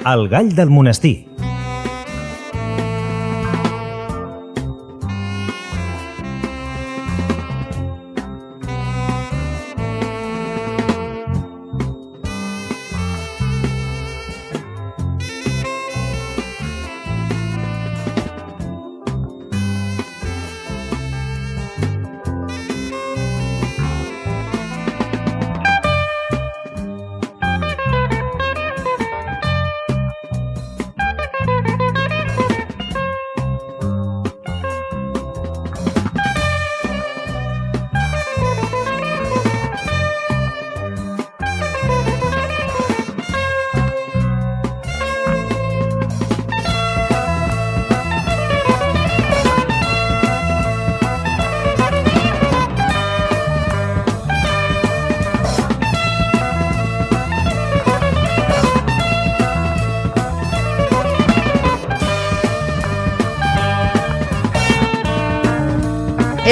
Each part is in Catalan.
El gall del monestir.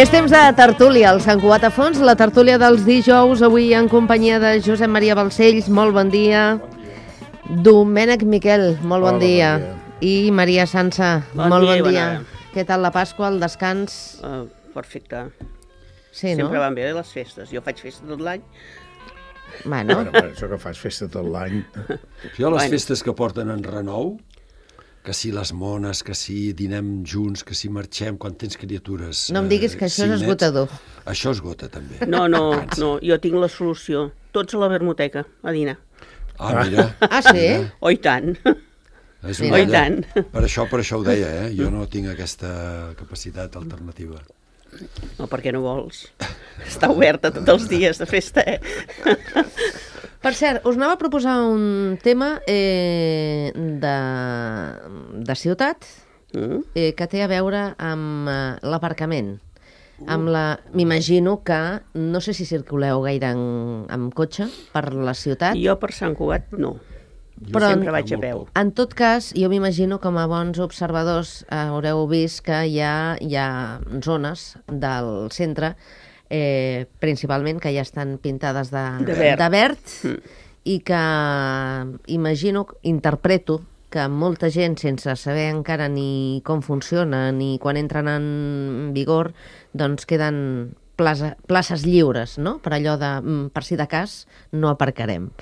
És temps de tertúlia, el Sant Cugat a fons, la tertúlia dels dijous, avui en companyia de Josep Maria Balcells, molt bon dia. Domènec Miquel, molt bon dia. I Maria Sansa, molt bon dia. Què tal la Pasqua, el descans? Perfecte. Sí, no? Sempre van bé les festes. Jo faig festa tot l'any. Bueno, això que fas festa tot l'any. Jo les festes que porten en renou, que si les mones, que si dinem junts, que si marxem quan tens criatures... no em diguis que això és esgotador. Això esgota, també. No, jo tinc la solució. Tots a la vermoteca, a dinar. Ah, mira. Ah, sí? Oh, i tant. És Oh, i tant. Per això ho deia, Jo no tinc aquesta capacitat alternativa. No, perquè no vols. Està oberta tots els dies de festa, Per cert, us anava a proposar un tema de ciutat que té a veure amb l'aparcament. M'imagino que no sé si circuleu gaire amb cotxe per la ciutat. Jo per Sant Cugat no. Però sempre vaig a peu. En tot cas, jo m'imagino com a bons observadors haureu vist que hi ha zones del centre principalment que ja estan pintades de verd i que interpreto que molta gent, sense saber encara ni com funciona ni quan entren en vigor, doncs queden places lliures, no? Per allò de, per si de cas, no aparcarem.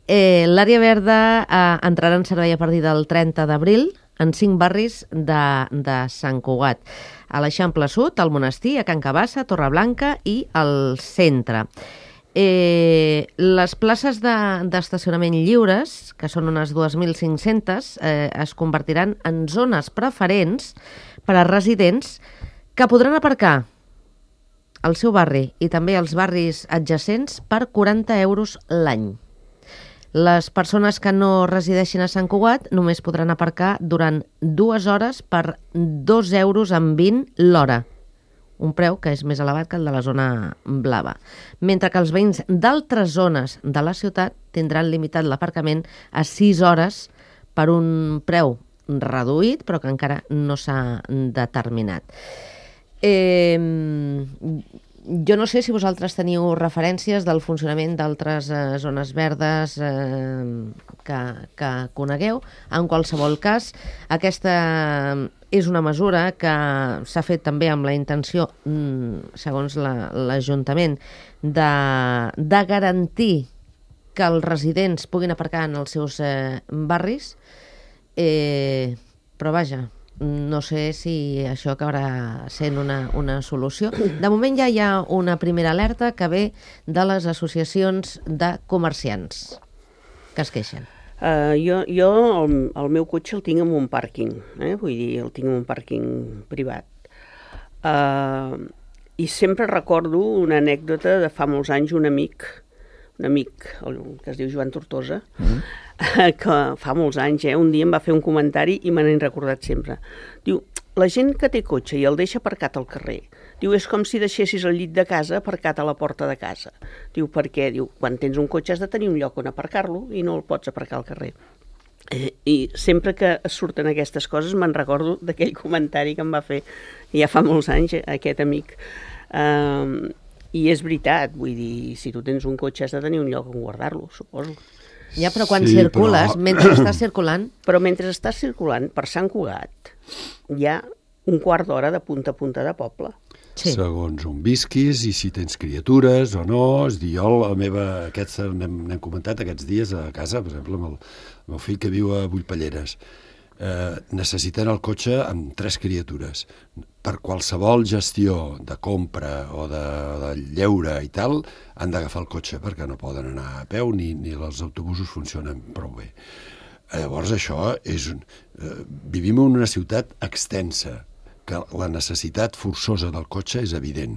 L'àrea verda entrarà en servei a partir del 30 d'abril en 5 barris de Sant Cugat. A l'Eixample Sud, al Monestir, a Can Cabassa, a Torreblanca i al centre. Les places d'estacionament lliures, que són unes 2.500, es convertiran en zones preferents per a residents que podran aparcar al seu barri i també als barris adjacents per 40 euros l'any. Les persones que no resideixin a Sant Cugat només podran aparcar durant 2 hores per 2,20 euros l'hora, un preu que és més elevat que el de la zona blava. Mentre que els veïns d'altres zones de la ciutat tindran limitat l'aparcament a 6 hores per un preu reduït, però que encara no s'ha determinat. Jo no sé si vosaltres teniu referències del funcionament d'altres zones verdes que conegueu. En qualsevol cas, aquesta és una mesura que s'ha fet també amb la intenció, segons l'Ajuntament, de garantir que els residents puguin aparcar en els seus barris, però vaja, no sé si això acabarà sent una solució. De moment ja hi ha una primera alerta que ve de les associacions de comerciants que es queixen. Jo el meu cotxe el tinc en un pàrquing, vull dir, el tinc en un pàrquing privat. I sempre recordo una anècdota de fa molts anys, un amic que es diu Joan Tortosa, que fa molts anys, un dia em va fer un comentari i me n'he recordat sempre. Diu, la gent que té cotxe i el deixa aparcat al carrer, diu, és com si deixessis el llit de casa aparcat a la porta de casa. Diu, perquè, diu, quan tens un cotxe has de tenir un lloc on aparcar-lo i no el pots aparcar al carrer. I sempre que surten aquestes coses me'n recordo d'aquell comentari que em va fer ja fa molts anys aquest amic. I és veritat, vull dir, si tu tens un cotxe has de tenir un lloc on guardar-lo, suposo. Ja, però quan Sí, circules, però- mentre estàs circulant... Però mentre estàs circulant per Sant Cugat, hi ha un quart d'hora de punta a punta de poble. Sí. Segons on visquis i si tens criatures o no. És dir, jo, aquests n'hem comentat aquests dies a casa, per exemple, amb el meu fill que viu a Vullpelleres. Necessiten el cotxe amb 3 criatures. Per qualsevol gestió de compra o de lleure i tal, han d'agafar el cotxe perquè no poden anar a peu ni els autobusos funcionen prou bé. Llavors això és... vivim en una ciutat extensa, que la necessitat forçosa del cotxe és evident.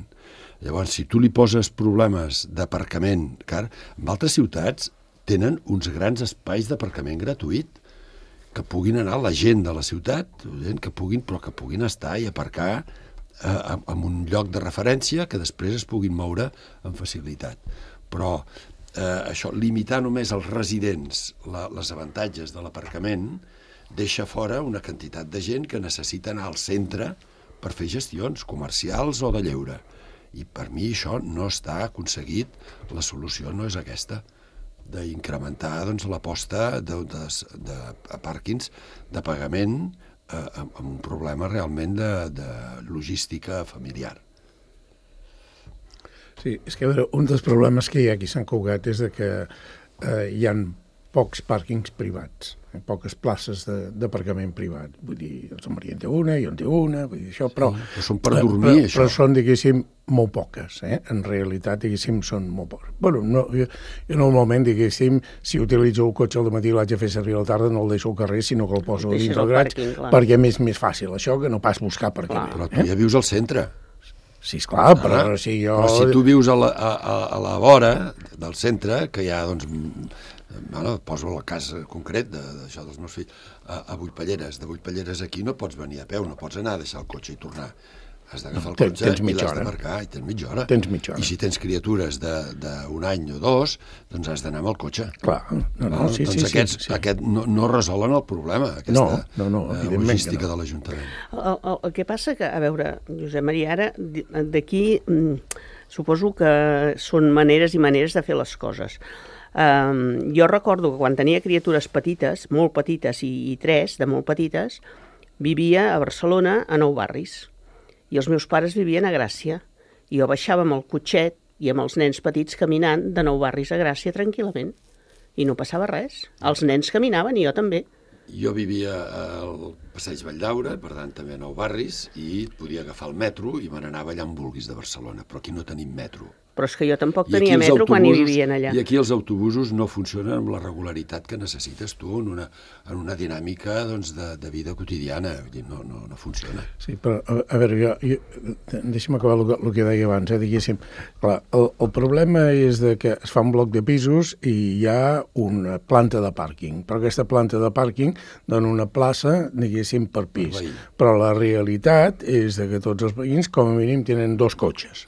Llavors, si tu li poses problemes d'aparcament, car en altres ciutats tenen uns grans espais d'aparcament gratuït, que puguin anar la gent de la ciutat, que puguin estar i aparcar en un lloc de referència que després es puguin moure amb facilitat. Però això, limitar només als residents les avantatges de l'aparcament, deixa fora una quantitat de gent que necessita anar al centre per fer gestions comercials o de lleure. I per mi això no està aconseguit, la solució no és aquesta, d'incrementar l'aposta de pàrquings de pagament amb un problema realment de logística familiar. Sí, és que a veure, un dels problemes que hi ha aquí a Sant Cugat és que hi ha pocs pàrquings privats, poques places d'aparcament privat. Vull dir, el Sant Maria en té una, jo en té una, vull dir això, però... Sí, són per dormir, això. Però són, diguéssim, molt poques, En realitat, diguéssim, són molt poques. Bueno, no, jo normalment, diguéssim, si utilitzo el cotxe al matí i l'haig de fer servir a la tarda, no el deixo al carrer, sinó que el poso dins del graig, perquè és més fàcil això que no pas buscar per aquí. Però tu ja vius al centre. Sí, esclar, però si jo... Però si tu vius a la vora del centre, que hi ha, doncs... Bueno, poso el cas concret d'això dels meus fills, a Vullpelleres. De Vullpelleres aquí no pots venir a peu, no pots anar a deixar el cotxe i tornar. Has d'agafar el cotxe i l'has d'aparcar i tens mitja hora. I si tens criatures d'un any o 2, doncs has d'anar amb el cotxe. Clar, sí. Aquests no resolen el problema, aquesta logística de l'Ajuntament. El que passa que, a veure, Josep Maria, ara d'aquí suposo que són maneres i maneres de fer les coses. Jo recordo que quan tenia criatures petites, molt petites i 3 de molt petites, vivia a Barcelona a Nou Barris i els meus pares vivien a Gràcia i jo baixava amb el cotxet i amb els nens petits caminant de Nou Barris a Gràcia tranquil·lament i no passava res. Els nens caminaven i jo també. Jo vivia al Passeig Valldaura, per tant també a Nou Barris, i podia agafar el metro i me n'anava allà on vulguis de Barcelona, però aquí no tenim metro. Però és que jo tampoc tenia metro quan hi vivien allà. I aquí els autobusos no funcionen amb la regularitat que necessites tu en una dinàmica de vida quotidiana. No funciona. Sí, però a veure, deixa'm acabar el que deia abans, diguéssim. Clar, el problema és que es fa un bloc de pisos i hi ha una planta de pàrquing, però aquesta planta de pàrquing dona una plaça, diguéssim, per pis. Però la realitat és que tots els veïns, com a mínim, tenen 2 cotxes.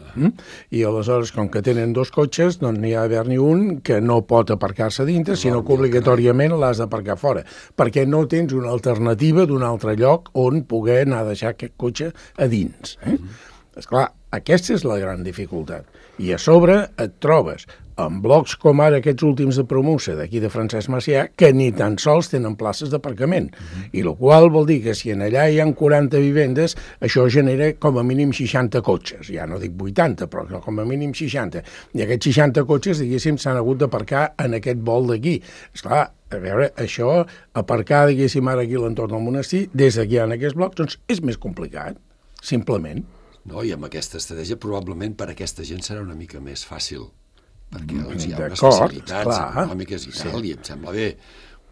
I aleshores, com que tenen 2 cotxes, doncs n'hi ha d'haver-n'hi un que no pot aparcar-se dintre, sinó que obligatòriament l'has d'aparcar fora, perquè no tens una alternativa d'un altre lloc on poder anar a deixar aquest cotxe a dins. Esclar, aquesta és la gran dificultat. I a sobre et trobes en blocs com ara aquests últims de Promusa, d'aquí de Francesc Macià, que ni tan sols tenen places d'aparcament. I la qual vol dir que si en allà hi ha 40 vivendes, això genera com a mínim 60 cotxes. Ja no dic 80, però com a mínim 60. I aquests 60 cotxes, diguéssim, s'han hagut d'aparcar en aquest vol d'aquí. Esclar, a veure, això, aparcar, diguéssim, ara aquí a l'entorn del monestir, des d'aquí en aquests blocs, doncs és més complicat, simplement. No, i amb aquesta estratègia probablement per a aquesta gent serà una mica més fàcil, perquè doncs, hi ha unes facilitats econòmiques i tal, i em sembla bé,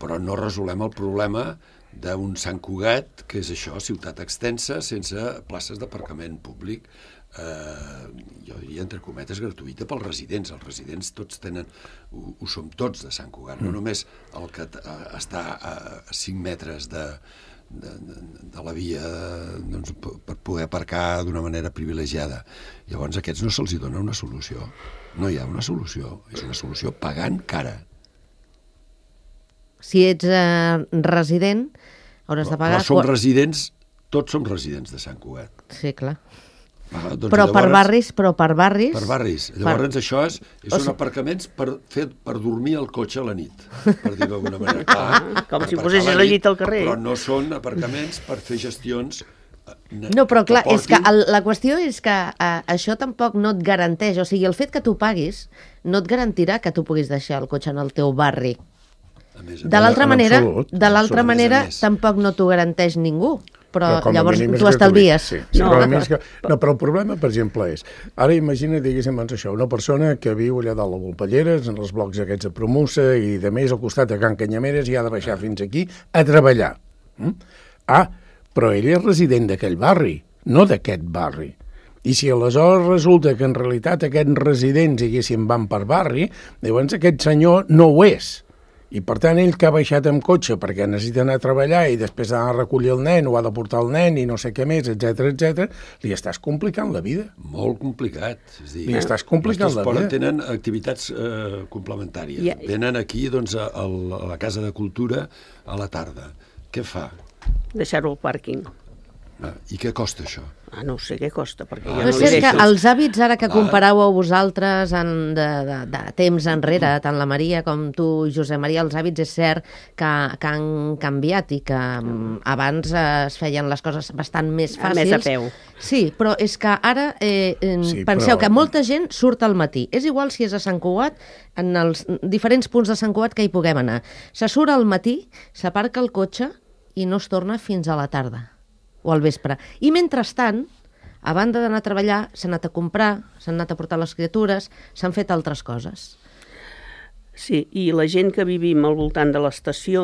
però no resolem el problema d'un Sant Cugat, que és això, ciutat extensa, sense places d'aparcament públic, jo diria, entre cometes, gratuïta pels residents. Els residents tots tenen, ho som tots de Sant Cugat, no només el que està a 5 metres de la via per poder aparcar d'una manera privilegiada. Llavors a aquests no se'ls dona una solució. No hi ha una solució. És una solució pagant cara. Si ets resident, hauràs de pagar... Però som residents, tots som residents de Sant Cugat. Sí, clar. Doncs però per barris... Per barris. Llavors això són aparcaments per dormir al cotxe a la nit, per dir d'alguna manera. Com si posessis la llit al carrer. Però no són aparcaments per fer gestions. No, però clar, és que la qüestió és que això tampoc no et garanteix, o sigui, el fet que tu paguis no et garantirà que tu puguis deixar el cotxe en el teu barri. De l'altra manera, tampoc no t'ho garanteix ningú. Però llavors tu estalvies. Però el problema, per exemple, és... Ara imagina, diguéssim, això, una persona que viu allà dalt a Volpelleres, en els blocs aquests de Promusa i de més al costat de Can Canyameres, i ha de baixar fins aquí a treballar. Però ell és resident d'aquell barri, no d'aquest barri. I si aleshores resulta que en realitat aquests residents, diguéssim, van per barri, llavors aquest senyor no ho és. I per tant ell que ha baixat amb cotxe perquè necessita anar a treballar i després ha de recollir el nen o ha de portar el nen i no sé què més, etc, li estàs complicant la vida. Molt complicat. És dir, li estàs complicant la vida. Tenen activitats complementàries. Venen aquí doncs, a la Casa de Cultura a la tarda. Què fa? Deixar-ho al pàrquing. I què costa això? No sé què costa, perquè jo no sé, que els hàbits ara que comparàveu vosaltres de temps enrere, tant la Maria com tu, Josep Maria, els hàbits és cert que han canviat i que abans es feien les coses bastant més fàcils. Més a peu. Sí, però és que ara penseu que molta gent surt al matí. És igual si és a Sant Cugat, en els diferents punts de Sant Cugat que hi puguem anar. Se surt al matí, s'aparca el cotxe i no es torna fins a la tarda o al vespre. I mentrestant, a banda d'anar a treballar, s'han anat a comprar, s'han anat a portar les criatures, s'han fet altres coses. Sí, i la gent que vivim al voltant de l'estació,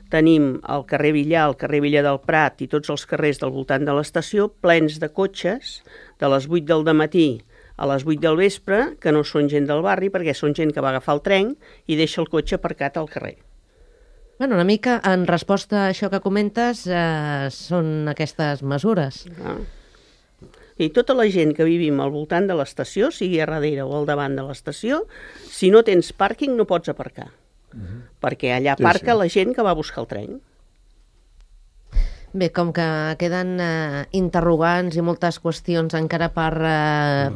tenim el carrer Villar, el carrer Villar del Prat i tots els carrers del voltant de l'estació plens de cotxes de les 8 del dematí a les 8 del vespre, que no són gent del barri, perquè són gent que va agafar el tren i deixa el cotxe aparcat al carrer. Bueno, una mica en resposta a això que comentes són aquestes mesures. I tota la gent que vivim al voltant de l'estació, sigui a darrere o al davant de l'estació, si no tens pàrquing no pots aparcar. Perquè allà aparca la gent que va a buscar el tren. Bé, com que queden interrogants i moltes qüestions encara per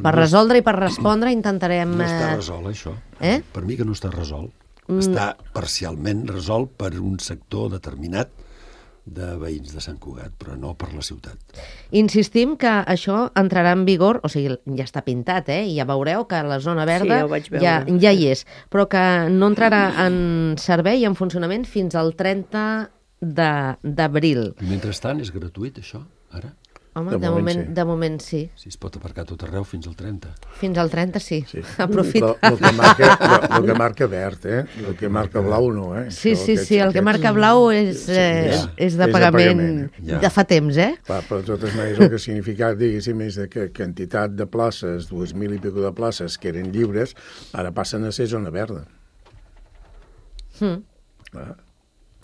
resoldre i per respondre, intentarem... No està resolt, això. Per mi que no està resolt. Està parcialment resolt per un sector determinat de veïns de Sant Cugat, però no per la ciutat. Insistim que això entrarà en vigor, o sigui, ja està pintat, i ja veureu que la zona verda ja hi és, però que no entrarà en servei i en funcionament fins al 30 d'abril. I mentrestant és gratuït, això, ara? Home, de moment sí. Si es pot aparcar tot arreu fins al 30. Fins al 30 sí. Aprofita. El que marca verd, el que marca blau no. Sí, el que marca blau és de pagament de fa temps, Clar, però de totes maneres el que ha significat, diguéssim, és que quantitat de places, 2.000 i pico de places que eren lliures, ara passen a ser zona verda.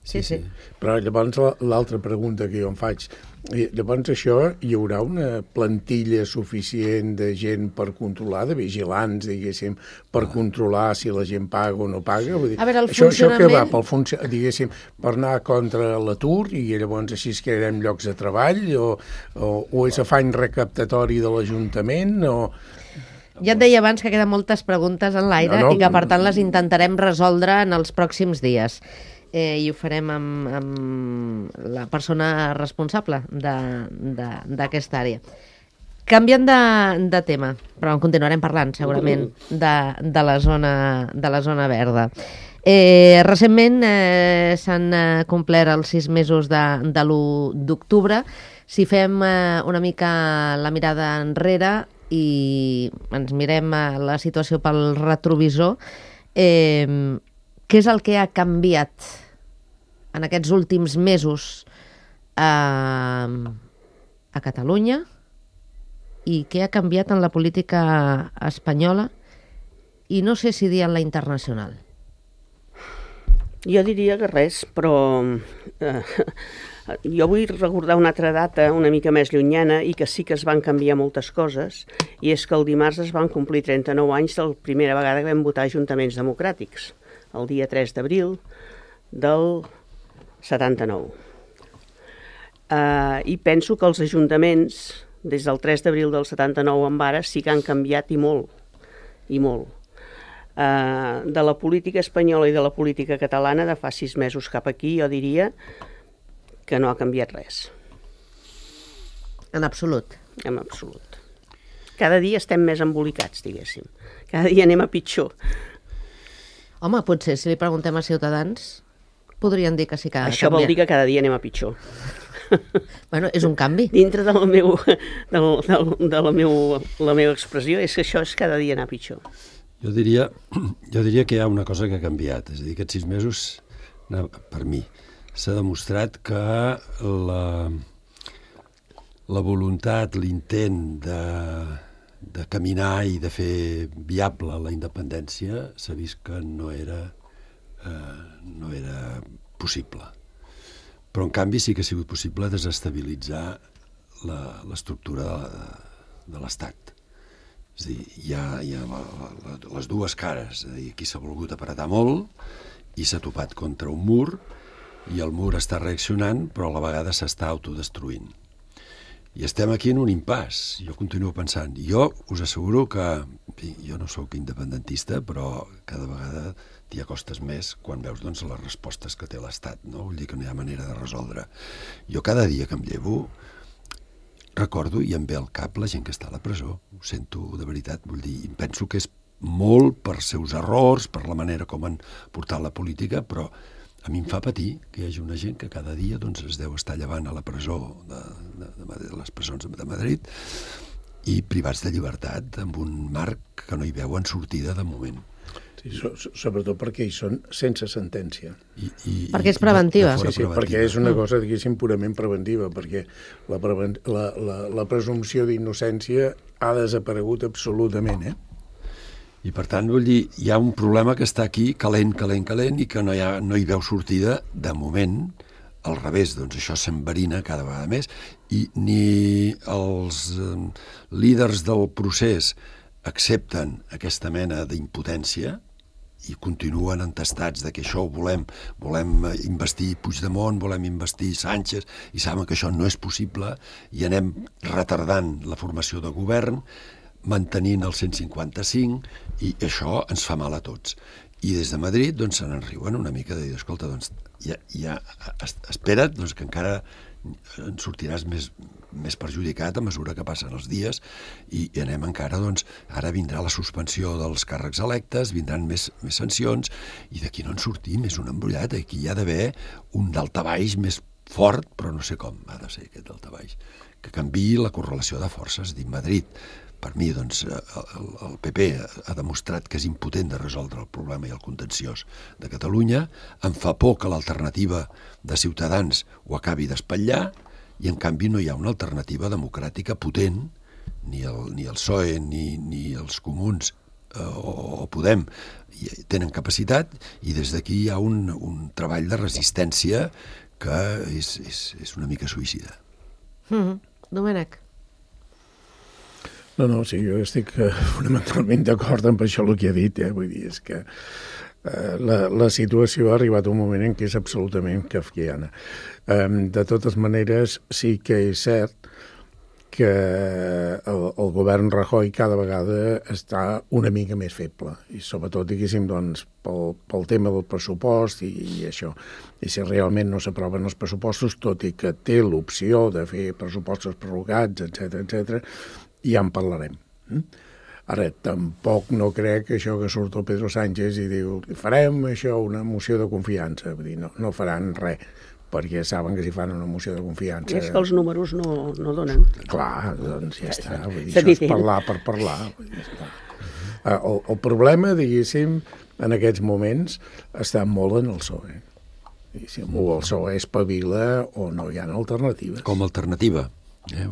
Sí. Però llavors l'altra pregunta que jo em faig, llavors això hi haurà una plantilla suficient de gent per controlar, de vigilants, diguéssim, per controlar si la gent paga o no paga? Vull dir, a veure, el això que va, diguéssim, per anar contra l'atur i llavors així es crearem llocs de treball o és afany recaptatori de l'Ajuntament o... Ja et deia abans que queden moltes preguntes en l'aire i que per tant les intentarem resoldre en els pròxims dies. I ho farem amb la persona responsable d'aquesta àrea. Canviant de tema, però en continuarem parlant segurament de la zona verda. Recentment s'han complert els 6 mesos de l'1 d'octubre. Si fem una mica la mirada enrere i ens mirem la situació pel retrovisor, què és el que ha canviat en aquests últims mesos a Catalunya i què ha canviat en la política espanyola i no sé si dir en la internacional? Jo diria que res, però jo vull recordar una altra data una mica més llunyana i que sí que es van canviar moltes coses, i és que el dimarts es van complir 39 anys de la primera vegada que vam votar ajuntaments democràtics, el dia 3 d'abril del 79. I penso que els ajuntaments des del 3 d'abril del 79 en ara sí que han canviat i molt, i molt. De la política espanyola i de la política catalana de fa 6 mesos cap aquí jo diria que no ha canviat res. En absolut. En absolut. Cada dia estem més embolicats, diguéssim. Cada dia anem a pitjor. Home, potser si li preguntem a Ciutadans podrien dir que sí que ha Això vol dir que cada dia anem a pitjor. Bueno, és un canvi. Dintre de la meva expressió és que això és cada dia anar pitjor. Jo diria que hi ha una cosa que ha canviat. És a dir, aquests 6 mesos, per mi, s'ha demostrat que la voluntat, l'intent de caminar i de fer viable la independència s'ha vist que no era possible. Però, en canvi, sí que ha sigut possible desestabilitzar l'estructura de l'Estat. És a dir, hi ha les dues cares. És a dir, aquí s'ha volgut apretar molt i s'ha topat contra un mur i el mur està reaccionant, però a la vegada s'està autodestruint. I estem aquí en un impàs. Jo continuo pensant. Jo us asseguro que jo no sóc independentista, però cada vegada t'hi acostes més quan veus doncs, les respostes que té l'Estat. No? Vull dir que no hi ha manera de resoldre. Jo cada dia que em llevo recordo i em ve al cap la gent que està a la presó. Ho sento de veritat. Vull dir, penso que és molt per seus errors, per la manera com han portat la política, però a mi em fa patir que hi hagi una gent que cada dia doncs, es deu estar llevant a la presó de les presons de Madrid i privats de llibertat amb un marc que no hi veuen sortida de moment. Sí, sobretot perquè hi són sense sentència. Perquè és preventiva. Sí, perquè és una cosa, diguéssim, purament preventiva, perquè la presumpció d'innocència ha desaparegut absolutament, I, per tant, vull dir, hi ha un problema que està aquí calent i que no hi veu sortida de moment. Al revés, doncs això s'enverina cada vegada més i ni els líders del procés accepten aquesta mena d'impotència i continuen entestats de que això ho volem investir Puigdemont, volem investir Sánchez, i saben que això no és possible i anem retardant la formació de govern, mantenint el 155, i això ens fa mal a tots. I des de Madrid doncs, se n'en riuen una mica de dir, escolta, doncs, espera't doncs, que encara en sortiràs més perjudicat a mesura que passen els dies i anem encara, doncs, ara vindrà la suspensió dels càrrecs electes, vindran més sancions i d'aquí no en sortim, és un embrollat, aquí hi ha d'haver un daltabaix més fort, però no sé com ha de ser aquest daltabaix, que canviï la correlació de forces dins Madrid. Per mi, doncs, el PP ha demostrat que és impotent de resoldre el problema i el contenciós de Catalunya. Em fa por que l'alternativa de Ciutadans ho acabi d'espatllar i, en canvi, no hi ha una alternativa democràtica potent, ni el PSOE ni els comuns o Podem tenen capacitat, i des d'aquí hi ha un treball de resistència que és una mica suïcida. Domènec. No, sí, jo estic fonamentalment d'acord amb això el que ha dit, vull dir, és que la situació ha arribat a un moment en què és absolutament kafkiana. De totes maneres, sí que és cert que el govern Rajoy cada vegada està una mica més feble, i sobretot, diguéssim, doncs, pel tema del pressupost i això. I si realment no s'aproven els pressupostos, tot i que té l'opció de fer pressupostos prorrogats, etc., ja en parlarem. Ara, tampoc no crec que això que surt el Pedro Sánchez i diu farem això, una moció de confiança. Vull dir, no faran res, perquè saben que si fan una moció de confiança... És que els números no donen. Clar, doncs ja està. Vull dir, això és parlar per parlar. Vull dir, el problema, diguéssim, en aquests moments està molt en el PSOE. O el PSOE espavila o no hi ha alternativa. Com a alternativa.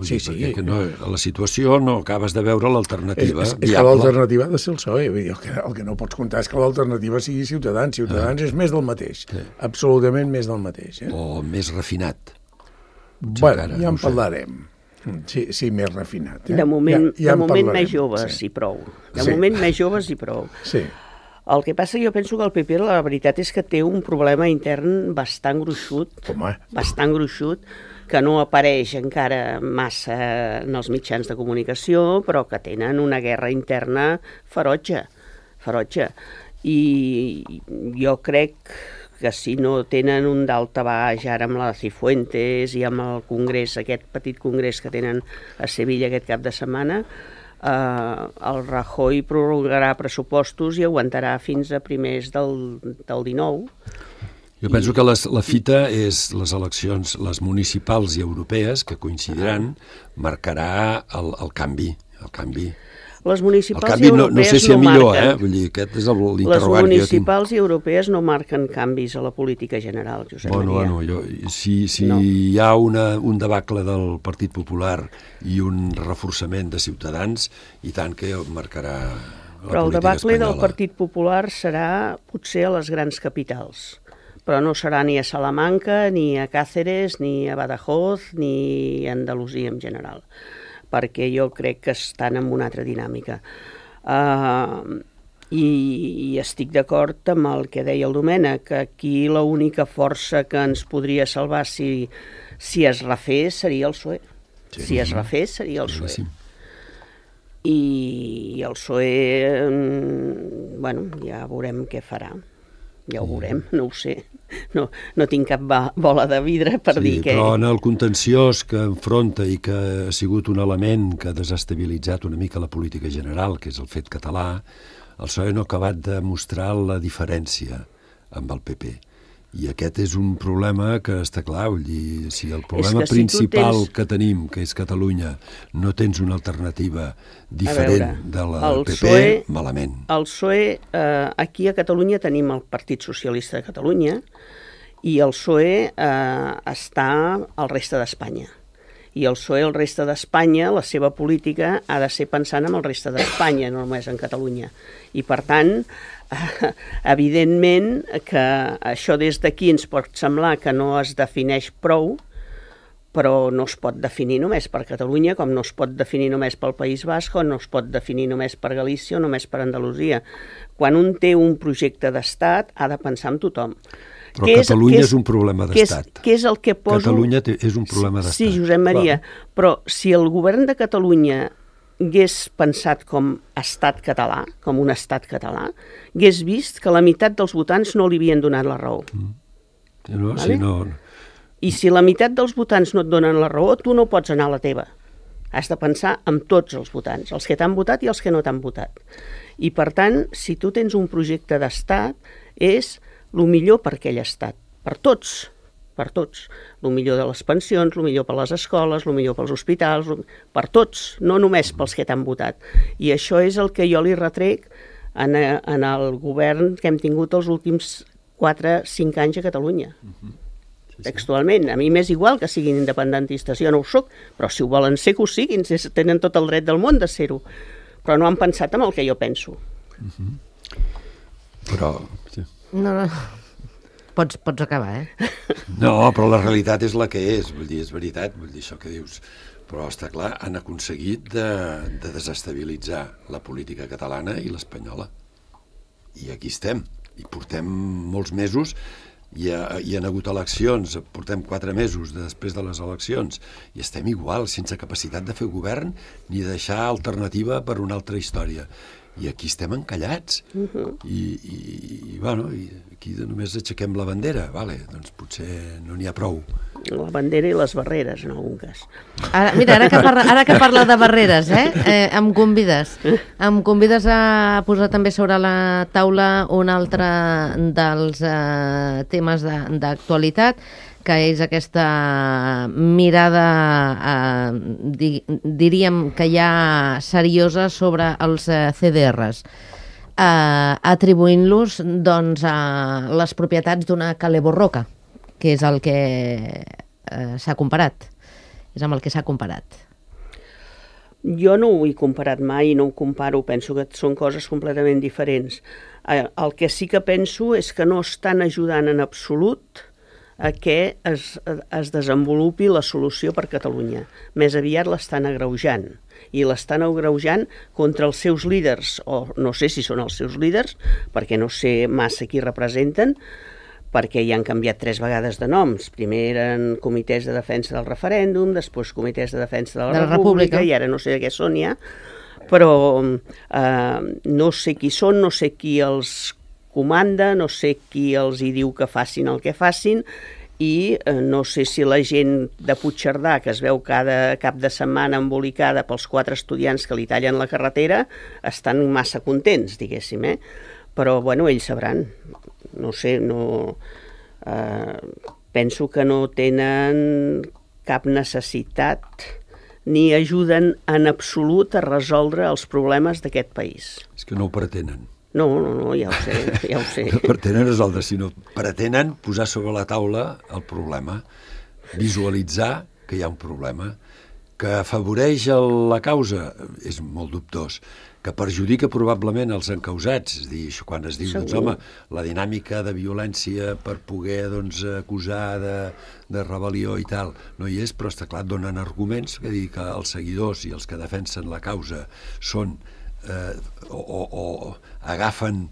Sí. Que no, a la situació no acabes de veure l'alternativa viable. És que l'alternativa ha de ser el PSOE. Vull dir, el que no pots comptar és que l'alternativa sigui Ciutadans. Ciutadans és més del mateix. Sí. Absolutament més del mateix. O més refinat. Bueno, ja en parlarem. Sí, més refinat. De moment més joves i prou. De moment més joves i prou. Sí. El que passa, jo penso que el PP, la veritat és que té un problema intern bastant gruixut, que no apareix encara massa en els mitjans de comunicació, però que tenen una guerra interna ferotge. I jo crec que si no tenen un daltabaix ara amb la Cifuentes i amb el congrés, aquest petit congrés que tenen a Sevilla aquest cap de setmana, el Rajoy prorrogarà pressupostos i aguantarà fins a primers del 19. Jo penso que la fita és les eleccions, les municipals i europees, que coincidiran, marcarà el canvi. Les municipals i europees no sé si millor, vull dir, aquest és l'interrogant que jo tinc. Les municipals i europees no marquen canvis a la política general, Josep Maria. Bueno, si hi ha un debacle del Partit Popular i un reforçament de Ciutadans, i tant que marcarà la política espanyola. Però el debacle del Partit Popular serà potser a les grans capitals, però no serà ni a Salamanca, ni a Cáceres, ni a Badajoz, ni a Andalusia en general, perquè jo crec que estan en una altra dinàmica. I estic d'acord amb el que deia el Domènec, que aquí l'única força que ens podria salvar si es refés seria el PSOE. Sí. Si es refés seria el PSOE. I el PSOE, bueno, ja veurem què farà. Ja ho veurem, no ho sé. No tinc cap bola de vidre per dir que... Però en el contenciós que enfronta i que ha sigut un element que ha desestabilitzat una mica la política general, que és el fet català, el PSOE no ha acabat de mostrar la diferència amb el PP. I aquest és un problema que està clar, vull dir, si el problema principal que tenim, que és Catalunya, no tens una alternativa diferent de la PP, malament. El PSOE, aquí a Catalunya tenim el Partit Socialista de Catalunya i el PSOE està al reste d'Espanya. I el PSOE al reste d'Espanya, la seva política ha de ser pensant en el reste d'Espanya, no només en Catalunya. I per tant, evidentment que això des d'aquí ens pot semblar que no es defineix prou, però no es pot definir només per Catalunya, com no es pot definir només pel País Basc, o no es pot definir només per Galícia o només per Andalusia. Quan un té un projecte d'estat, ha de pensar en tothom. Però Catalunya és un problema d'estat. Què és el que poso... Catalunya és un problema d'estat. Sí, Josep Maria, però si el govern de Catalunya hagués pensat com estat català, com un estat català, hagués vist que la meitat dels votants no li havien donat la raó. I si la meitat dels votants no et donen la raó, tu no pots anar a la teva. Has de pensar en tots els votants, els que t'han votat i els que no t'han votat. I per tant, si tu tens un projecte d'estat, és el millor per aquell estat, per tots. El millor de les pensions, el millor per les escoles, el millor pels hospitals, per tots, no només pels que t'han votat. I això és el que jo li retrec en el govern que hem tingut els últims 4-5 anys a Catalunya. Textualment, a mi m'és igual que siguin independentistes, jo no ho soc, però si ho volen ser, que ho siguin, tenen tot el dret del món de ser-ho. Però no han pensat en el que jo penso. Però... No. Pots acabar, No, però la realitat és la que és, vull dir, és veritat, vull dir això que dius. Però està clar, han aconseguit de desestabilitzar la política catalana i l'espanyola. I aquí estem, i portem molts mesos, hi han hagut eleccions, portem 4 mesos després de les eleccions, i estem igual, sense capacitat de fer govern ni de deixar alternativa per una altra història. I aquí estem encallats. I aquí només aixequem la bandera, doncs potser no n'hi ha prou. La bandera i les barreres, en algun cas. Ara que parla de barreres, em convides a posar també sobre la taula un altre dels temes d'actualitat, que és aquesta mirada, diríem que ja seriosa, sobre els CDRs, atribuint-los les propietats d'una Caleborroca, que és el que s'ha comparat. És amb el que s'ha comparat. Jo no ho he comparat mai i no ho comparo, penso que són coses completament diferents. El que sí que penso és que no estan ajudant en absolut a que es desenvolupi la solució per Catalunya. Més aviat l'estan agreujant, i l'estan agreujant contra els seus líders, o no sé si són els seus líders, perquè no sé massa qui representen, perquè hi han canviat 3 vegades de noms. Primer eren comitès de defensa del referèndum, després comitès de defensa de la República, i ara no sé de què són ja, però no sé qui són, no sé qui els comanda, no sé qui els hi diu que facin el que facin, i no sé si la gent de Puigcerdà, que es veu cada cap de setmana embolicada pels 4 estudiants que li tallen la carretera, estan massa contents, diguéssim, Però, bueno, ells sabran. No sé, penso que no tenen cap necessitat ni ajuden en absolut a resoldre els problemes d'aquest país. És que no ho pretenen. No, ja ho sé. No pretenen resoldre, sinó pretenen posar sobre la taula el problema, visualitzar que hi ha un problema, que afavoreix la causa, és molt dubtós, que perjudica probablement els encausats, és a dir, quan es diu, doncs, home, la dinàmica de violència per poder, doncs, acusar de rebel·lió i tal, no hi és, però està clar, donen arguments, que dir que els seguidors i els que defensen la causa són o agafen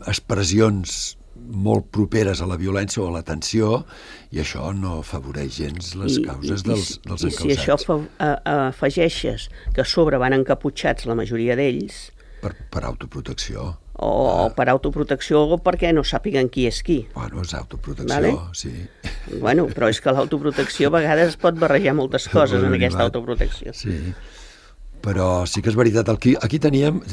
expressions molt properes a la violència o a la tensió, i això no afavoreix gens les causes dels encausats. I si això afegeixes que a sobre van encaputxats la majoria d'ells... Per autoprotecció. O per autoprotecció o perquè no sàpiguen qui és qui. Bueno, és autoprotecció, sí. Bueno, però és que l'autoprotecció a vegades pot barrejar moltes coses en aquesta autoprotecció. Sí, però sí que és veritat. Aquí teníem...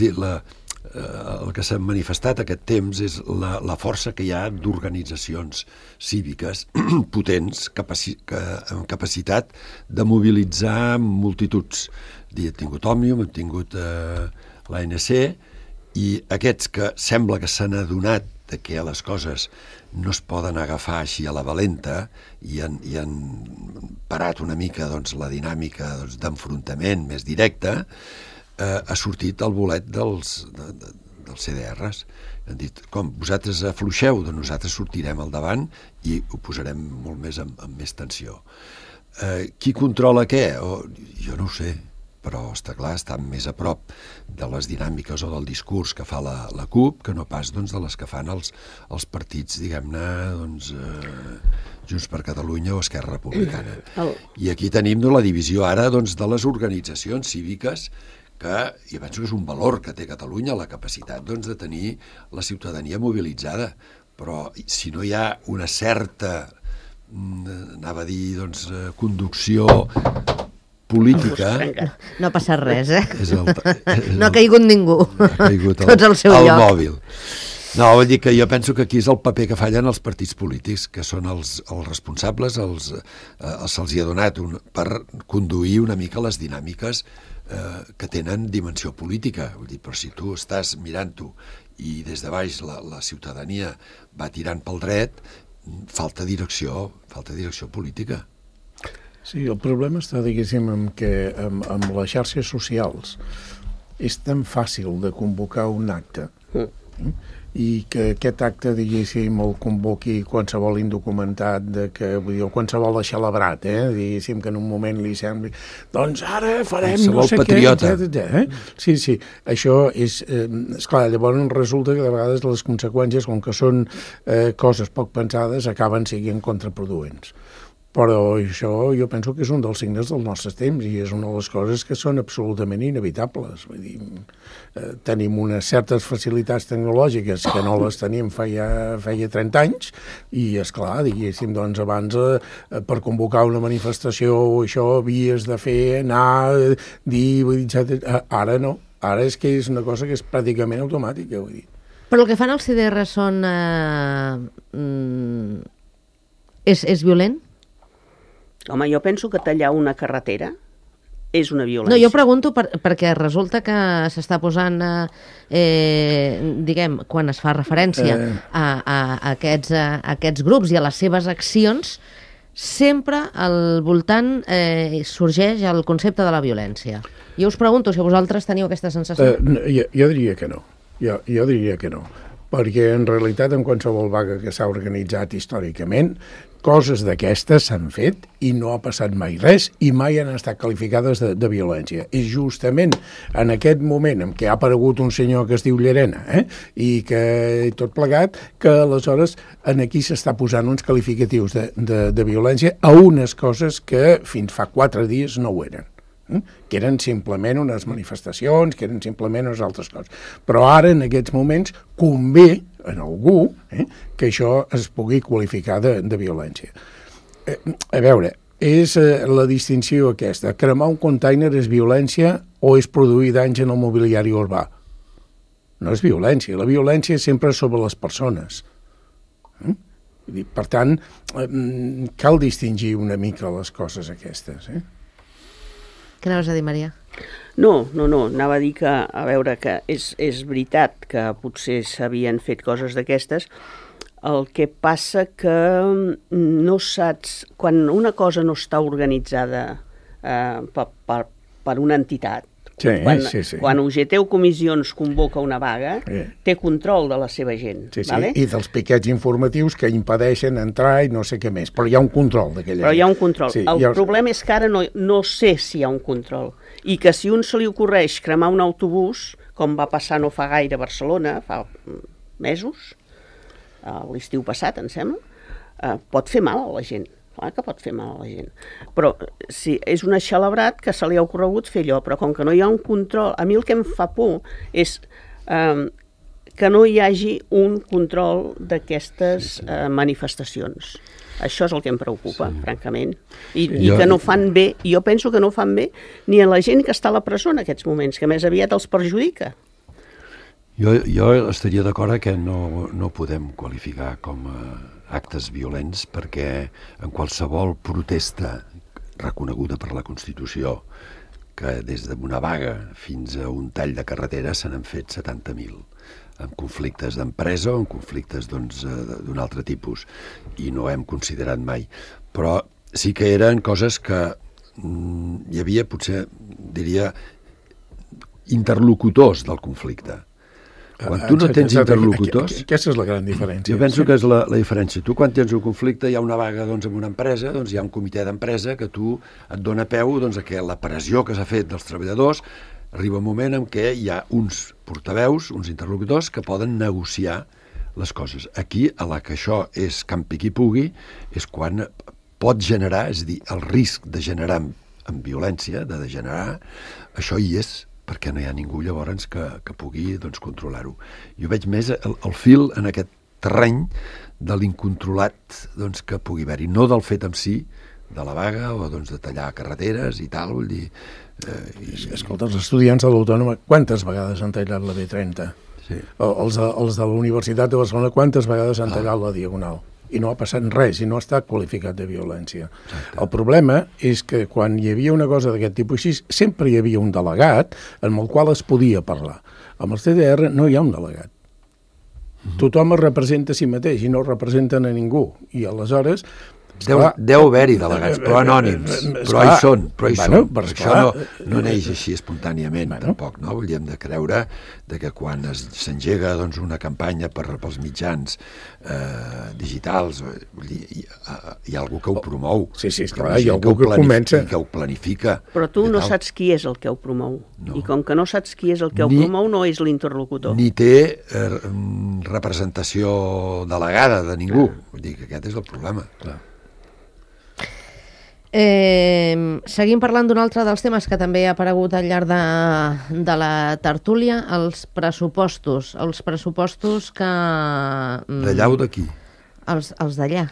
El que s'ha manifestat aquest temps és la força que hi ha d'organitzacions cíviques potents, amb capacitat de mobilitzar multituds. Hem tingut Òmnium, hem tingut l'ANC, i aquests que sembla que s'han adonat que les coses no es poden agafar així a la valenta i han parat una mica la dinàmica d'enfrontament més directa, ha sortit el bolet dels CDRs. Han dit, com, vosaltres afluixeu, doncs nosaltres sortirem al davant i ho posarem molt més amb més tensió. Qui controla què? Jo no ho sé, però està clar, estan més a prop de les dinàmiques o del discurs que fa la CUP que no pas de les que fan els partits, diguem-ne, Junts per Catalunya o Esquerra Republicana. I aquí tenim la divisió ara de les organitzacions cíviques, que jo penso que és un valor que té Catalunya, la capacitat de tenir la ciutadania mobilitzada, però si no hi ha una certa, anava a dir, conducció política... No ha passat res, no ha caigut ningú. Tots al seu lloc. El mòbil. No, vull dir que jo penso que aquí és el paper que fallen els partits polítics, que són els responsables, se'ls hi ha donat per conduir una mica les dinàmiques que tenen dimensió política. Vull dir, però si tu estàs mirant-ho i des de baix la ciutadania va tirant pel dret, falta direcció política. Sí, el problema està, diguéssim, amb les xarxes socials és tan fàcil de convocar un acte i que aquest acte, diguéssim, el convoqui qualsevol indocumentat, o qualsevol celebrat, diguéssim, que en un moment li sembli, doncs ara farem no sé què. Sí, això és clar, llavors resulta que de vegades les conseqüències, com que són coses poc pensades, acaben sent contraproduents. Però això jo penso que és un dels signes dels nostres temps i és una de les coses que són absolutament inevitables. Vull dir, tenim unes certes facilitats tecnològiques que no les teníem feia 30 anys i, esclar, diguéssim, doncs abans per convocar una manifestació això havies de fer, anar, dir, etc. Ara no. Ara és que és una cosa que és pràcticament automàtica, vull dir. Però el que fan els CDR són... és violent? Home, jo penso que tallar una carretera és una violència. No, jo pregunto perquè resulta que s'està posant, diguem, quan es fa referència a aquests grups i a les seves accions, sempre al voltant sorgeix el concepte de la violència. Jo us pregunto si vosaltres teniu aquesta sensació. Jo diria que no. Jo diria que no. Perquè en realitat en qualsevol vaga que s'ha organitzat històricament coses d'aquestes s'han fet i no ha passat mai res i mai han estat qualificades de violència. És justament en aquest moment en què ha aparegut un senyor que es diu Llerena i que tot plegat, que aleshores aquí s'està posant uns qualificatius de violència a unes coses que fins fa 4 dies no ho eren, que eren simplement unes manifestacions, que eren simplement unes altres coses. Però ara, en aquests moments, convé en algú que això es pugui qualificar de violència. A veure, és la distinció aquesta. Cremar un container és violència o és produir danys en el mobiliari urbà? No és violència. La violència és sempre sobre les persones. Per tant, cal distingir una mica les coses aquestes. Què anaves a dir, Maria? No, anava a dir que, a veure, que és veritat que potser s'havien fet coses d'aquestes, el que passa que no saps, quan una cosa no està organitzada per una entitat, quan UGT o comissions convoca una vaga, té control de la seva gent. Vale? I dels piquets informatius que impedeixen entrar i no sé què més, però hi ha un control d'aquella gent. Però hi ha un control. El problema és que ara no sé si hi ha un control. I que si un se li ocorreix cremar un autobús, com va passar no fa gaire a Barcelona, fa mesos, l'estiu passat, em sembla, pot fer mal a la gent. Clar que pot fer mal a la gent. Però sí, és un eixelebrat que se li ha ocorregut fer allò, però com que no hi ha un control... A mi el que em fa por és que no hi hagi un control d'aquestes manifestacions. Això és el que em preocupa, francament. I que no fan bé, jo penso que no fan bé ni a la gent que està a la presó en aquests moments, que més aviat els perjudica. Jo estaria d'acord que no podem qualificar com actes violents perquè en qualsevol protesta reconeguda per la Constitució, que des d'una vaga fins a un tall de carretera se n'han fet 70.000, amb conflictes d'empresa o amb conflictes d'un altre tipus, i no hem considerat mai. Però sí que eren coses que hi havia, potser, diria, interlocutors del conflicte. Quan tu no tens interlocutors... Aquesta és la gran diferència. Jo penso que és la diferència. Tu, quan tens un conflicte, hi ha una vaga amb una empresa, hi ha un comitè d'empresa que tu et dona peu a que la pressió que s'ha fet dels treballadors arriba un moment en què hi ha uns portaveus, uns interlocutors, que poden negociar les coses. Aquí, a la que això és campi qui pugui, és quan pot generar, és a dir, el risc de generar amb violència, de degenerar, això hi és, perquè no hi ha ningú llavors que pugui controlar-ho. Jo veig més el fil en aquest terreny de l'incontrolat que pugui haver-hi, no del fet en si de la vaga o de tallar carreteres i tal, vull dir... Escolta, els estudiants de l'Autònoma, quantes vegades han tallat la B30? Sí. Els de la Universitat de Barcelona, quantes vegades han tallat la Diagonal? I no ha passat res, i no ha estat qualificat de violència. Exacte. El problema és que quan hi havia una cosa d'aquest tipus així, sempre hi havia un delegat amb el qual es podia parlar. Amb el CDR no hi ha un delegat. Tothom es representa a si mateix i no representen a ningú. I aleshores... Deu haver-hi delegats, però anònims, però hi són, això no neix així espontàniament, tampoc, no? Hem de creure que quan s'engega una campanya pels mitjans digitals, hi ha algú que ho promou, hi ha algú que comença, que ho planifica. Però tu no saps qui és el que ho promou, i com que no saps qui és el que ho promou, no és l'interlocutor. Ni té representació delegada de ningú, vull dir que aquest és el problema, clar. Seguim parlant d'un altre dels temes que també ha aparegut al llarg de la tertúlia, els pressupostos que... D'allà o d'aquí? Els d'allà.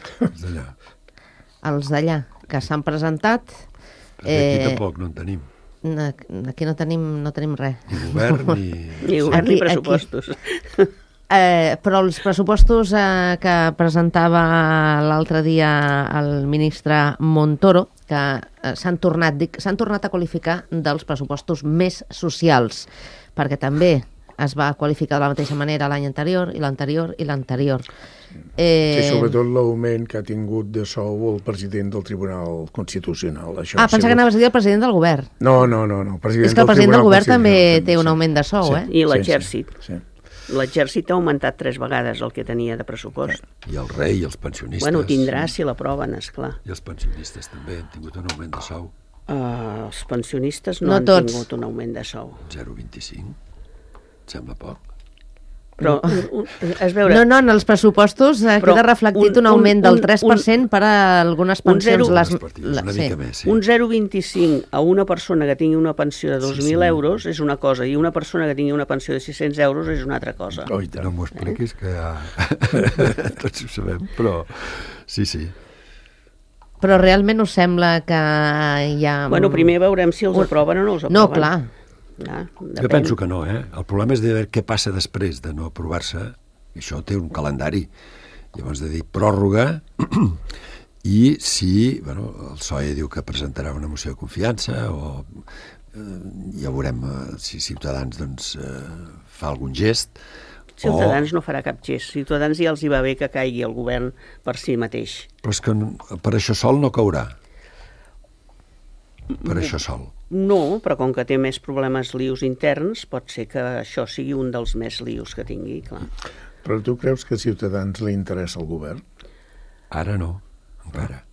Els d'allà, que s'han presentat. Aquí tampoc no en tenim. Aquí no tenim res. Ni govern ni pressupostos. Però els pressupostos que presentava l'altre dia el ministre Montoro, que s'han tornat a qualificar dels pressupostos més socials, perquè també es va qualificar de la mateixa manera l'any anterior, i l'anterior, i l'anterior. Sí, sobretot l'augment que ha tingut de sou el president del Tribunal Constitucional. Pensava que anaves a dir el president del govern. No. És que el president del govern també té un augment de sou, I l'exèrcit. Sí. l'exèrcit ha augmentat 3 vegades el que tenia de pressupost. I el rei i els pensionistes. Bueno, tindrà si l'aproven, esclar. I els pensionistes també han tingut un augment de sou. Els pensionistes No han tots. tingut un augment de sou. 0,25. Et sembla poc? Però, es veure... No, en els pressupostos queda reflectit un augment del 3% per a algunes pensions. Les partides, una mica més, sí. Un 0,25 a una persona que tingui una pensió de 2.000 euros és una cosa, i una persona que tingui una pensió de 600 euros és una altra cosa. Oh, no m'ho expliquis, que ja... tots ho sabem, però sí. Però realment us sembla que hi ha... Bueno, primer veurem si els aproven o no els aproven. No, clar. Jo penso que no, eh? El problema és de veure què passa després de no aprovar-se. Això té un calendari. Llavors de dir pròrroga i si, bueno, el PSOE diu que presentarà una moció de confiança o ja veurem si Ciutadans doncs, fa algun gest. Ciutadans no farà cap gest. Ciutadans ja els hi va bé que caigui el govern per si mateix. Però és que per això sol no caurà. Per això sol. No, però com que té més problemes lius interns, pot ser que això sigui un dels més lius que tingui, clar. Però tu creus que a Ciutadans li interessa el govern? Ara no, encara.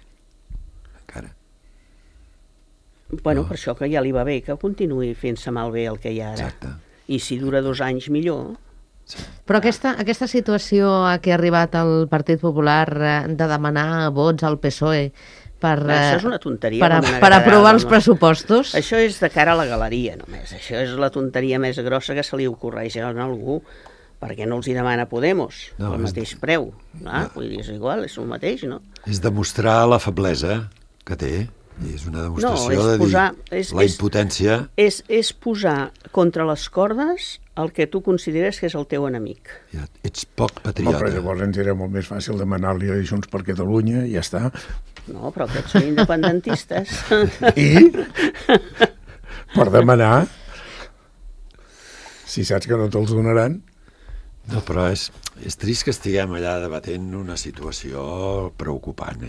Bueno, per això que ja li va bé que continuï fent-se malbé el que hi ha ara. Exacte. I si dura 2 anys, millor. Sí. Però aquesta situació a què ha arribat el Partit Popular de demanar vots al PSOE això és una tonteria. Per aprovar els pressupostos. Això és de cara a la galeria, només. Això és la tonteria més grossa que se li ocorreix a algú, perquè no els hi demana Podemos el mateix preu. Vull dir, és igual, és el mateix, no? És demostrar la feblesa que té. És una demostració de dir la impotència. És posar contra les cordes el que tu consideres que és el teu enemic. Ja, ets poc patriota. Però llavors ens era molt més fàcil demanar-li a Junts per Catalunya i ja està. No, però aquests són independentistes. I? Per demanar? Si saps que no te'ls donaran. No, però és trist que estiguem allà debatent una situació preocupant,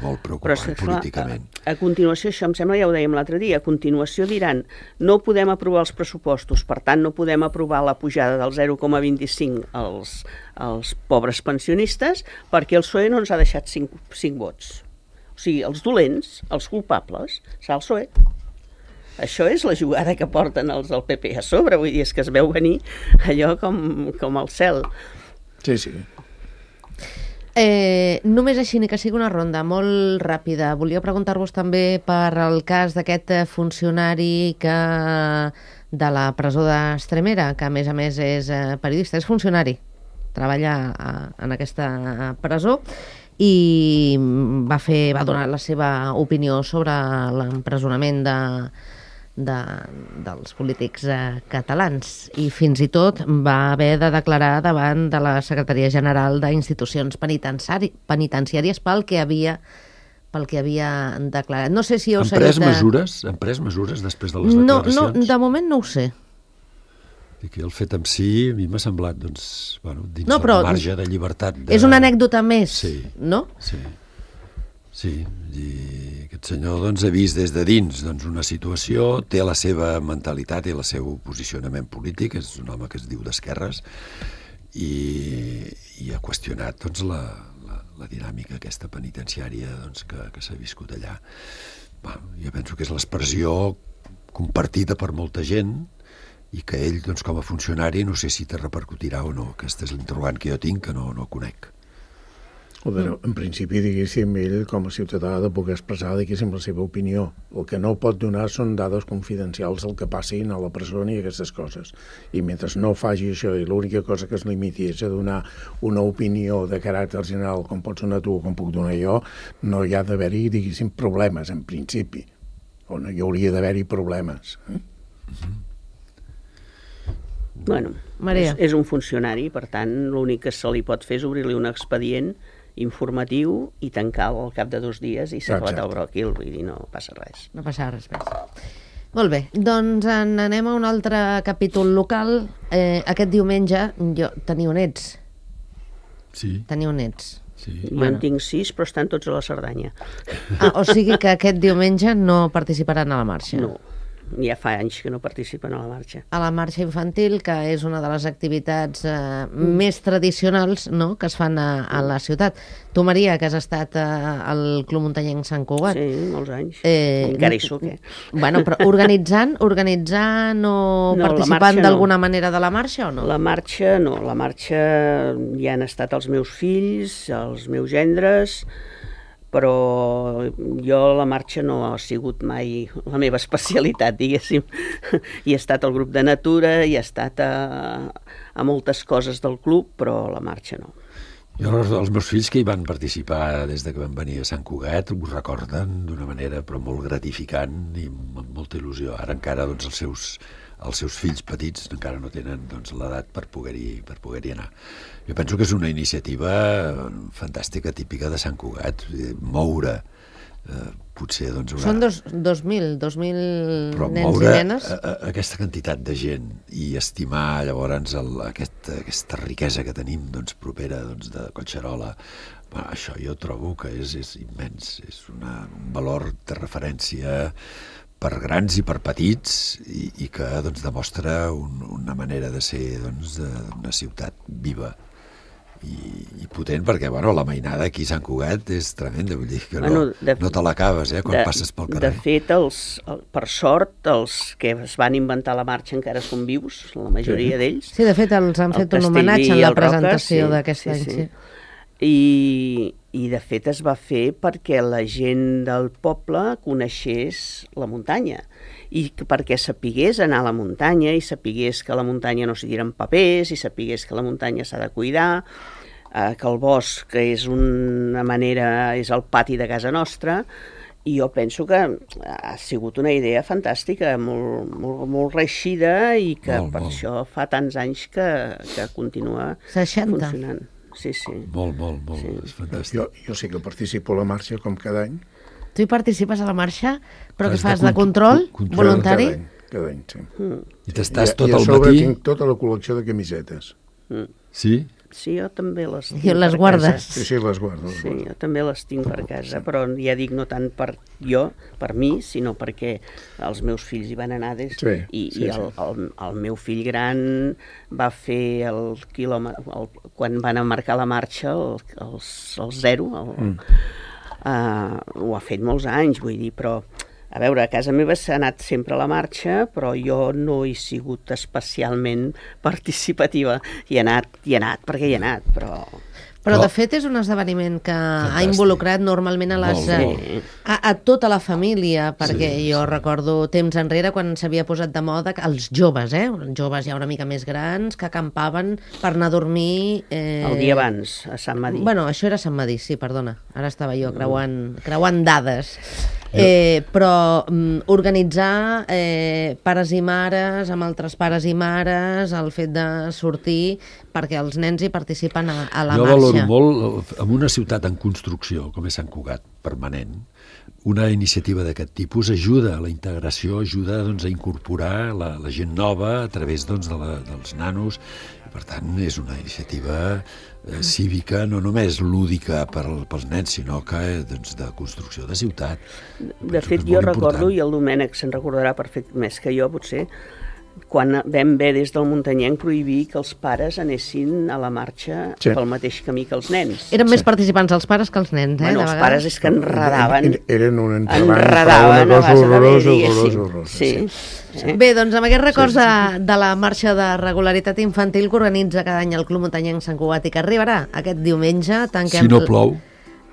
molt preocupant políticament. A continuació, això em sembla, ja ho dèiem l'altre dia, a continuació diran no podem aprovar els pressupostos, per tant no podem aprovar la pujada del 0,25 als pobres pensionistes perquè el PSOE no ens ha deixat 5 vots. O sigui, els dolents, els culpables, serà el PSOE. Això és la jugada que porten els del PP a sobre, vull dir, és que es veu venir allò com el cel. Sí. Només així, ni que sigui una ronda molt ràpida. Volia preguntar-vos també per el cas d'aquest funcionari de la presó d'Estremera, que a més és periodista, és funcionari, treballa en aquesta presó, i va donar la seva opinió sobre l'empresonament dels polítics catalans, i fins i tot va haver de declarar davant de la Secretaria General d'Institucions Penitenciàries pel que havia declarat. No sé si heu seguit... Han pres mesures després de les declaracions? No, de moment no ho sé. I que el fet en si a mi m'ha semblat dins del marge de llibertat. És una anècdota més, no? Sí, i aquest senyor ha vist des de dins una situació, té la seva mentalitat i el seu posicionament polític, és un home que es diu d'esquerres, i ha qüestionat la dinàmica aquesta penitenciària que s'ha viscut allà. Jo penso que és l'expressió compartida per molta gent i que ell, com a funcionari, no sé si te repercutirà o no. Aquest és l'interrogant que jo tinc, que no conec. En principi, diguéssim, ell com a ciutadà ha de poder expressar, diguéssim, la seva opinió. El que no pot donar són dades confidencials del que passin a la presó i aquestes coses. I mentre no faci això i l'única cosa que es limiti és a donar una opinió de caràcter general, com pots donar tu o com puc donar jo, no hi ha d'haver-hi, diguéssim, problemes, en principi. O no hi hauria d'haver-hi problemes. Bueno, és un funcionari, per tant, l'únic que se li pot fer és obrir-li un expedient informatiu i tancar-lo al cap de 2 dies i s'ha acabat el bròquil, vull dir, no passa res. No passa res més. Molt bé, doncs anem a un altre capítol local. Aquest diumenge teniu nets. Sí. Teniu nets. Sí. Jo en tinc 6, però estan tots a la Cerdanya. O sigui que aquest diumenge no participaran a la marxa. No. ja fa anys que no participen a la marxa. A la marxa infantil, que és una de les activitats més tradicionals, no?, que es fan a la ciutat. Tu, Maria, que has estat al Club Muntanyenc Sant Cugat. Sí, molts anys. Encara hi soc, Bueno, però organitzant o participant d'alguna manera de la marxa o no? La marxa no, la marxa hi han estat els meus fills, els meus gendres, però jo la marxa no ha sigut mai la meva especialitat, diguéssim. Hi he estat al grup de natura, hi he estat a moltes coses del club, però la marxa no. Jo, els meus fills que hi van participar des de que van venir a Sant Cugat ho recorden d'una manera però molt gratificant i amb molta il·lusió. Ara encara doncs, els seus fills petits encara no tenen doncs, l'edat per poder-hi anar. Jo penso que és una iniciativa fantàstica, típica de Sant Cugat, moure potser doncs Són 2.000 però nens moure i nenes. aquesta quantitat de gent i estimar llavors aquesta riquesa que tenim doncs, propera doncs, de Collserola, això jo trobo que és immens, és un valor de referència per grans i per petits i que doncs, demostra una manera de ser doncs, d'una ciutat viva i potent, perquè la mainada aquí a Sant Cugat és tremenda, vull dir que no te l'acabes quan passes pel carrer. De fet, per sort, els que es van inventar la marxa encara són vius, la majoria d'ells. Sí, de fet, els han fet un homenatge en la presentació d'aquest any. Sí. I de fet es va fer perquè la gent del poble coneixés la muntanya i perquè sapigués anar a la muntanya i sapigués que a la muntanya no s'hi tiren papers i sapigués que la muntanya s'ha de cuidar, que el bosc és és el pati de casa nostra, i jo penso que ha sigut una idea fantàstica, molt reeixida i que per això fa tants anys que continua 60. funcionant. Sí. Molt, sí. És fantàstic. Jo sé que participo a la marxa com cada any. Tu hi participes a la marxa, però què fas, de control voluntari? Cada any, sí. I t'estàs tot el matí... I a sobre tinc tota la col·lecció de camisetes. Sí? Sí, jo també les tinc. I les guardes? Sí, les guardo. Sí, jo també les tinc per casa, però ja dic, no tant per mi, sinó perquè els meus fills hi van anar el meu fill gran va fer el quilòmetre, quan van marcar la marxa, el 0, ho ha fet molts anys, vull dir, però a veure, a casa meva s'ha anat sempre a la marxa, però jo no he sigut especialment participativa. Hi he anat, perquè hi he anat, però... Però de fet és un esdeveniment que ha involucrat normalment a tota la família, perquè jo recordo temps enrere quan s'havia posat de moda els joves, joves ja una mica més grans, que acampaven per anar a dormir... El dia abans, a Sant Madí. Bueno, això era Sant Madí, sí, perdona. Ara estava jo creuant dades. Però organitzar pares i mares amb altres pares i mares, el fet de sortir perquè els nens hi participen a la marxa. Jo valoro molt, en una ciutat en construcció com és Sant Cugat, permanent, una iniciativa d'aquest tipus ajuda a la integració, ajuda a incorporar la gent nova a través dels nanos. Per tant, és una iniciativa cívica, no només lúdica pels nens, sinó que de construcció de ciutat. De fet, jo recordo, i el Domènec se'n recordarà perfectament més que jo, potser, quan vam haver des del Muntanyenc prohibir que els pares anessin a la marxa pel mateix camí que els nens. Eren més participants els pares que els nens, Bueno, els pares és que enredaven. Eren un entrebanc, una cosa horrorosa. Sí. Bé, doncs amb aquests records de la marxa de regularitat infantil que organitza cada any el Club Muntanyenc Sant Cugat i que arribarà aquest diumenge, si no plou.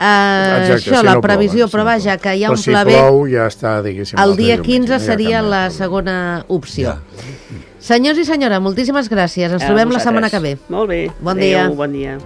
Això, la previsió, però vaja, que hi ha un pla B. Si plou ja està, diguéssim. El dia 15 seria la segona opció. Senyors i senyora, moltíssimes gràcies. Ens trobem la setmana que ve. Molt bé. Bon dia. Adéu, bon dia.